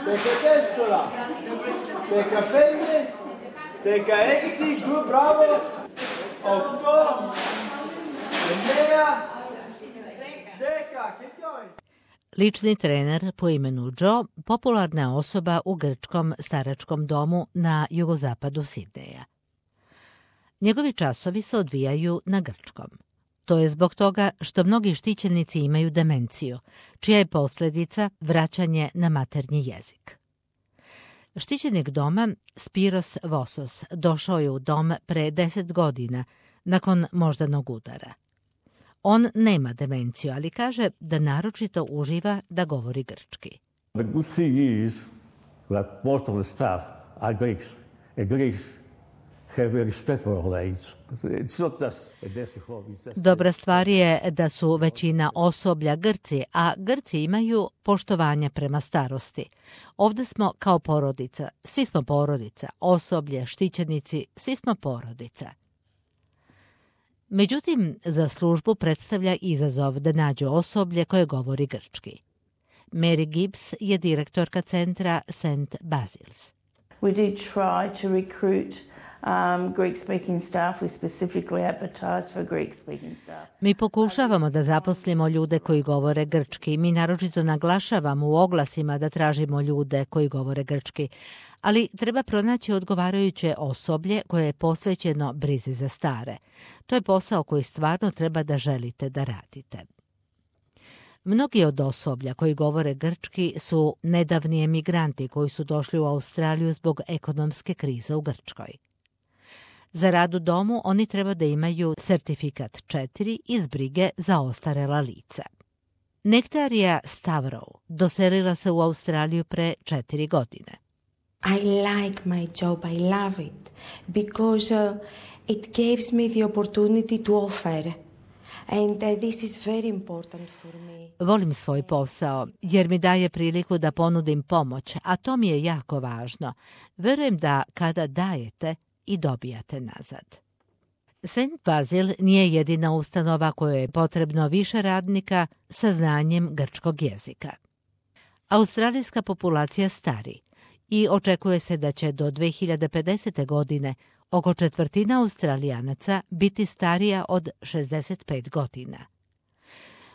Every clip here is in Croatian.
teka dessola, teka femme, teka exi, good, bravo, 8, 9, 10, keep going. Lični trener po imenu Joe popularna je osoba u grčkom staračkom domu na jugozapadu Sidneja. Njegovi časovi se odvijaju na grčkom. To je zbog toga što mnogi štićenici imaju demenciju, čija je posljedica vraćanje na maternji jezik. Štićenik doma Spiros Vosos došao je u dom pre 10 godina nakon moždanog udara. On nema demenciju, ali kaže da naročito uživa da govori grčki. The good thing is that most of the staff are Greeks. And Greeks have a respect for old age. It's not just a nursing home. Dobra stvar je da su većina osoblja Grci, a Grci imaju poštovanje prema starosti. Ovdje smo kao porodica, svi smo porodica, osoblje, štićenici, svi smo porodica. Međutim, za službu predstavlja izazov da nađu osoblje koje govori grčki. Mary Gibbs je direktorka centra St. Basil's. We did try to recruit Greek-speaking staff. We specifically advertised for Greek-speaking staff. Mi pokušavamo da zaposlimo ljude koji govore grčki. Mi naročito naglašavamo u oglasima da tražimo ljude koji govore grčki. Ali treba pronaći odgovarajuće osoblje koje je posvećeno brizi za stare. To je posao koji stvarno treba da želite da radite. Mnogi od osoblja koji govore grčki su nedavni emigranti koji su došli u Australiju zbog ekonomske krize u Grčkoj. Za rad u domu oni treba da imaju sertifikat 4 iz brige za ostarela lica. Nektarija Stavrou doselila se u Australiju pre 4 godine. I like my job, I love it, because it gives me the opportunity to offer. And this is very important for me. Volim svoj posao jer mi daje priliku da ponudim pomoć, a to mi je jako važno. Verujem da kada dajete i dobijate nazad. St. Basil nije jedina ustanova kojoj je potrebno više radnika sa znanjem grčkog jezika. Australijska populacija stari i očekuje se da će do 2050. godine oko četvrtina Australijanaca biti starija od 65 godina.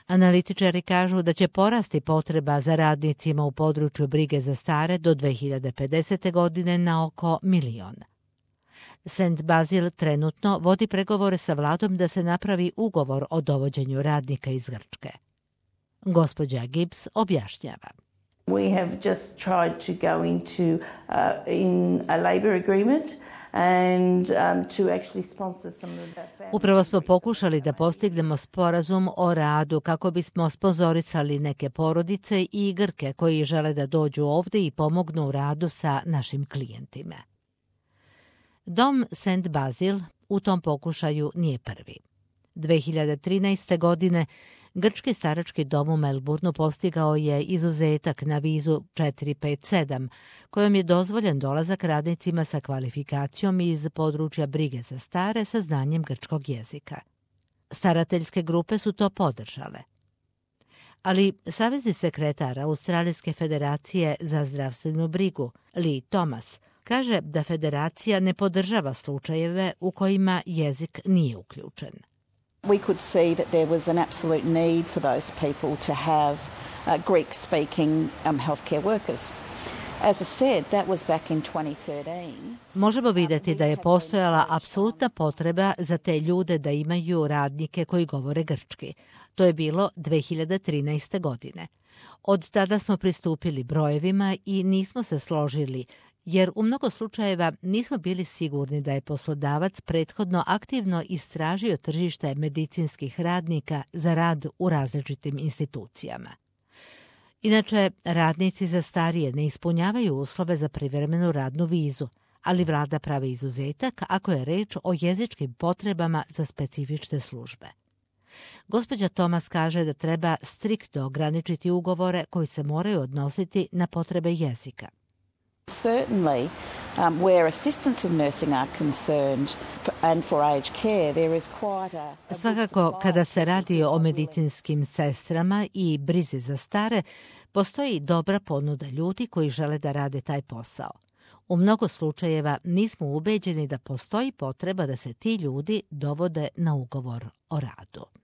Analitičari kažu da će porasti potreba za radnicima u području brige za stare do 2050. godine na oko 1 milion. St. Basil trenutno vodi pregovore sa vladom da se napravi ugovor o dovođenju radnika iz Grčke. Gospođa Gibbs objašnjava. We have just tried to go into in a labour agreement and to actually sponsor some of that. Upravo smo pokušali da postignemo sporazum o radu kako bismo sponzorisali neke porodice i Grke koji žele da dođu ovdje i pomognu u radu sa našim klijentima. Dom St. Basil u tom pokušaju nije prvi. 2013. godine Grčki starački dom u Melbourneu postigao je izuzetak na vizu 457, kojom je dozvoljen dolazak radnicima sa kvalifikacijom iz područja brige za stare sa znanjem grčkog jezika. Starateljske grupe su to podržale. Ali savezni sekretar Australijske federacije za zdravstvenu brigu, Lee Thomas, kaže da federacija ne podržava slučajeve u kojima jezik nije uključen. We could see that there was an absolute need for those people to have Greek-speaking healthcare workers. As I said, that was back in 2013. Možemo vidjeti da je postojala apsolutna potreba za te ljude da imaju radnike koji govore grčki. To je bilo 2013. godine. Od tada smo pristupili brojevima i nismo se složili, jer u mnogo slučajeva nismo bili sigurni da je poslodavac prethodno aktivno istražio tržište medicinskih radnika za rad u različitim institucijama. Inače, radnici za starije ne ispunjavaju uslove za privremenu radnu vizu, ali vlada pravi izuzetak ako je reč o jezičkim potrebama za specifične službe. Gospođa Thomas kaže da treba striktno ograničiti ugovore koji se moraju odnositi na potrebe jezika. Certainly, where assistants in nursing are concerned and for aged care, there is quite Svakako, kada se radi o medicinskim sestrama i brizi za stare, Postoji dobra ponuda ljudi koji žele da rade taj posao. U mnogo slučajeva nismo ubeđeni da postoji potreba da se ti ljudi dovode na ugovor o radu.